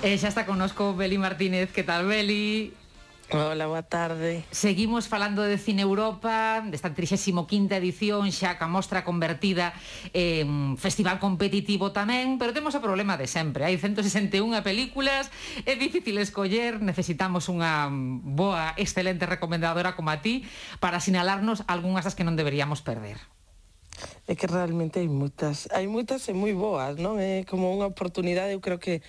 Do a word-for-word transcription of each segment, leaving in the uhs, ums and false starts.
E xa está connosco Beli Martínez. Que tal, Beli? Hola, boa tarde. Seguimos falando de Cine Europa, desta trixésima quinta edición, xa ca mostra convertida en festival competitivo tamén, pero temos o problema de sempre. Hai ciento sesenta e unha películas, é difícil escoller, necesitamos unha boa, excelente recomendadora como a ti para sinalarnos algunhas das que non deberíamos perder. É que realmente hai moitas, hai moitas e moi boas, non? É como unha oportunidade, eu creo que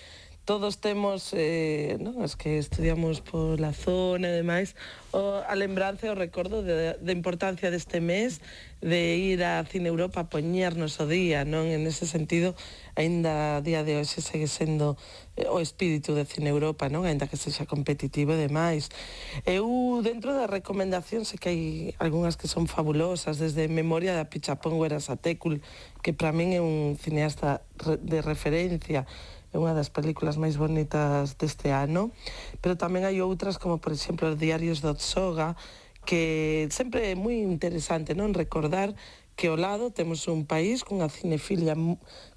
todos temos, eh, non, os que estudiamos pola zona e demais, o, a lembranza e o recordo de, de importancia deste mes de ir a Cine Europa a poñernos o día, non? En ese sentido, aínda a día de hoxe segue sendo eh, o espírito de Cine Europa, non? Aínda que sexa competitivo e demais. Eu, dentro da recomendación, sei que hai algunhas que son fabulosas, desde Memoria da Pichapón Guerasatécul, que para min é un cineasta de referencia, é unha das películas máis bonitas deste ano, pero tamén hai outras como, por exemplo, Os Diarios do Otsoga, que sempre é moi interesante, non, recordar que ao lado temos un país cunha cinefilia,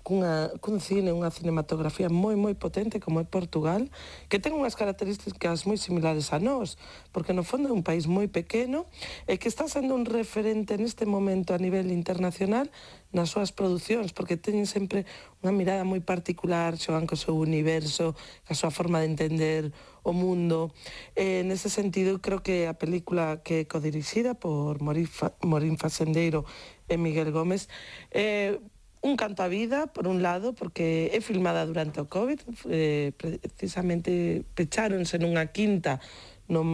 cunha, cun cine, unha cinematografía moi moi potente como é Portugal, que ten unhas características moi similares a nós, porque no fondo é un país moi pequeno e que está sendo un referente neste momento a nivel internacional nas súas producións, porque teñen sempre unha mirada moi particular, xogan co seu universo, ca súa forma de entender o mundo. Eh, nese sentido, creo que a película que é codirixida por Morín Fasendeiro e Miguel Gómez é un canto á vida, por un lado, porque é filmada durante o COVID, eh, precisamente pecháronse nunha quinta no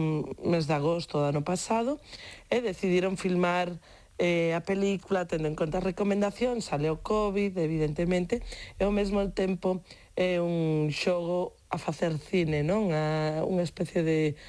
mes de agosto do ano pasado, e decidiron filmar eh, a película tendo en conta as recomendacións, sale o COVID, evidentemente, e ao mesmo tempo é un xogo a facer cine, non? A, unha especie de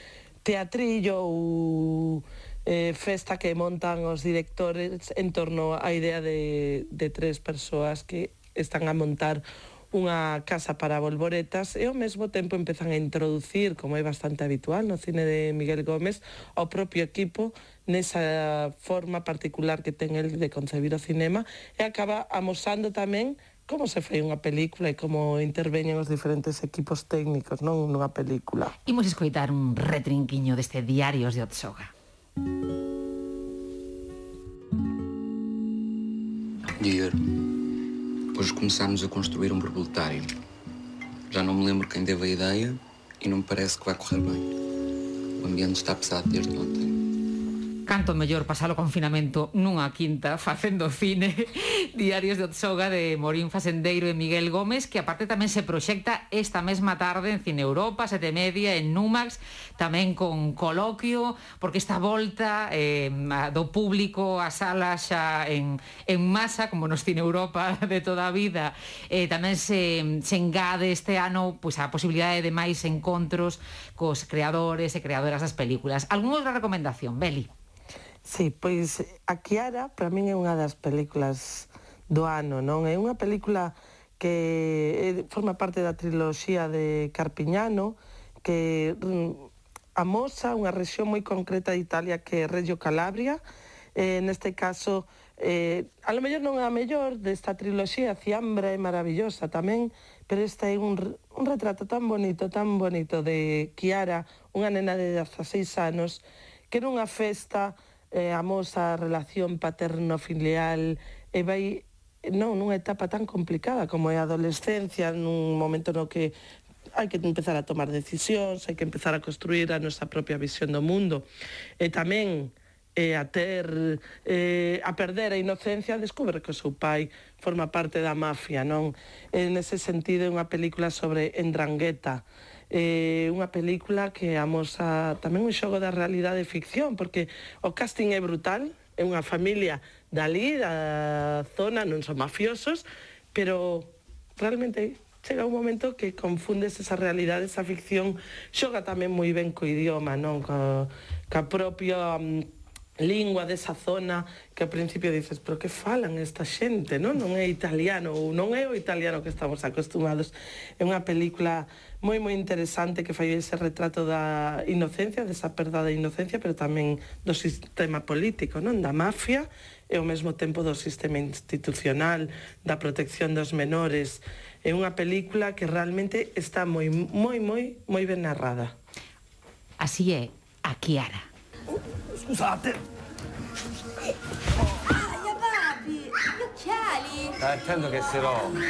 teatrillo ou eh, festa que montan os directores en torno á idea de, de tres persoas que están a montar unha casa para bolboretas e ao mesmo tempo empezan a introducir, como é bastante habitual no cine de Miguel Gómez, ao propio equipo nesa forma particular que ten el de concebir o cinema e acaba amosando tamén como se fai unha película e como interveñen os diferentes equipos técnicos, non, nunha película. Imos escoitar un retrinquiño deste Diarios de Otsoga. Dia, hoje começámos a construir um borboletário. Já não me lembro quem deu a ideia e não me parece que vai correr bem. O ambiente está pesado desde ontem. Canto mellor pasar o confinamento nunha quinta facendo cine. Diarios de Otsoga de Morín Fasendeiro e Miguel Gómez, que aparte tamén se proxecta esta mesma tarde en Cine Europa, sete e media, en Numax, tamén con coloquio, porque esta volta eh, do público a salas xa en, en masa, como nos Cine Europa de toda a vida, eh, tamén se, se engade este ano pois, a posibilidade de máis encontros cos creadores e creadoras das películas. Algúna outra recomendación, Beli? Sí, pois a Chiara para min é unha das películas do ano, non? É unha película que forma parte da triloxía de Carpiñano, que amosa unha rexión moi concreta de Italia que é Reggio Calabria. Eh, neste caso, eh, a lo mellor non é a mellor desta triloxía, Ciambra é maravillosa tamén, pero este é un, un retrato tan bonito, tan bonito de Chiara, unha nena de dezaseis anos, que nunha festa eh, amosa a relación paterno-filial e vai non, nunha etapa tan complicada como é a adolescencia, nun momento no que hai que empezar a tomar decisións, hai que empezar a construir a nosa propia visión do mundo e tamén eh, a ter eh, a perder a inocencia, descubre que o seu pai forma parte da mafia, non? En ese sentido é unha película sobre Ndrangheta, eh, unha película que amosa tamén un xogo da realidade e ficción, porque o casting é brutal, é unha familia dali, da zona, non son mafiosos, pero realmente chega un momento que confundes esa realidade, esa ficción, xoga tamén moi ben co idioma, non? Co, ca propia um, lingua desa zona que ao principio dices, pero que falan esta xente, non? Non é italiano, ou non é o italiano que estamos acostumados. É unha película moi moi interesante que fai ese retrato da inocencia, desa perda da inocencia, pero tamén do sistema político, non? Da mafia e ao mesmo tempo do sistema institucional, da protección dos menores. é unha película que realmente está moi, moi, moi, moi ben narrada. Así é a Chiara. Scusate. Aia, papi, gli occhiali. Stai attento che si rompe.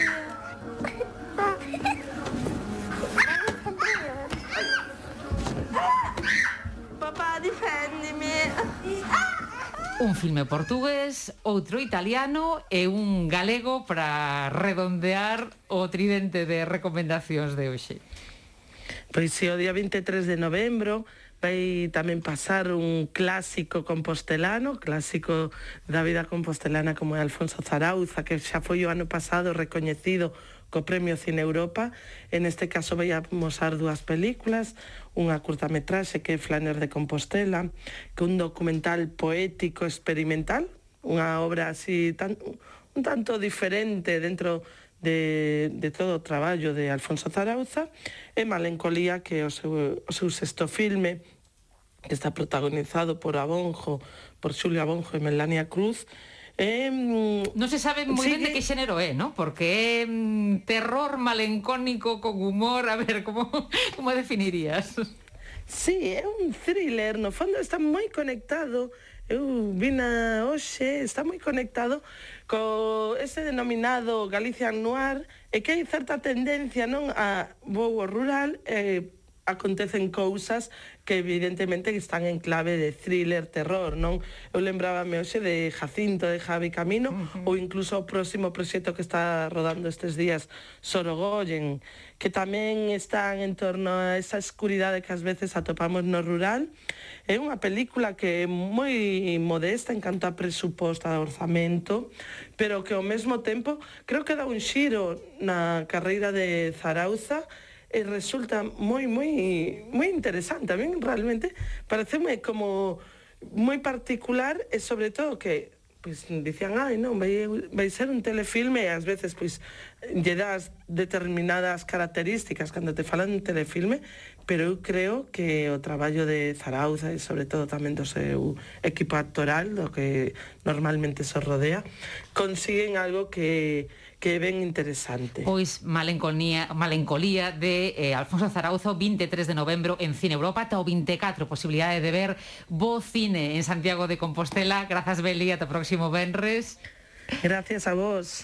Papá, difendimi. Un filme portugués, outro italiano e un galego para redondear o tridente de recomendacións de hoxe. Pois si, o día vinte e tres de novembro vai tamén pasar un clásico compostelano, clásico da vida compostelana como é Alfonso Zarauza, que xa foi o ano pasado recoñecido co Premio Cine Europa. En este caso vai a mostrar dúas películas, unha curtametraxe que é Flaner de Compostela, que é un documental poético experimental, unha obra así tan, un tanto diferente dentro de, de todo o traballo de Alfonso Zarauza, e Malencolía, que é o seu, o seu sexto filme, que está protagonizado por Abonjo, por Xulia Abonjo e Melania Cruz. Eh, non se sabe moi sigue... ben de que xénero é, ¿no? Porque é mm, terror malencónico con humor, a ver, como, como definirías? Sí, é un thriller, no fondo está moi conectado, eu vina hoxe, está moi conectado co ese denominado Galician Noir, e que hai certa tendencia, non, a vou ao rural, e acontecen cousas que evidentemente están en clave de thriller, terror, non? Eu lembrábame hoxe de Jacinto, de Javi Camino, uh-huh. ou incluso o próximo proxecto que está rodando estes días, Sorogoyen, que tamén están en torno a esa escuridade que ás veces atopamos no rural. É unha película que é moi modesta en canto a presuposto, a orzamento, pero que ao mesmo tempo creo que dá un xiro na carreira de Zarauza, e resulta moi, moi, moi interesante. A mí realmente pareceme como moi particular, e sobre todo que pois dicían, ai, non, vai, vai ser un telefilme, e ás veces pois lle das determinadas características cando te falan un telefilme, pero eu creo que o traballo de Zarauza e sobre todo tamén do seu equipo actoral, do que normalmente se rodea, consiguen algo que que é ben interesante. Pois Malencolía, Malencolía de eh, Alfonso Zarauza, vinte e tres de novembro en Cine Europa, ata o vinte e catro, posibilidade de ver bo cine en Santiago de Compostela. Grazas, Beli, ata o próximo venres. Gracias a vos.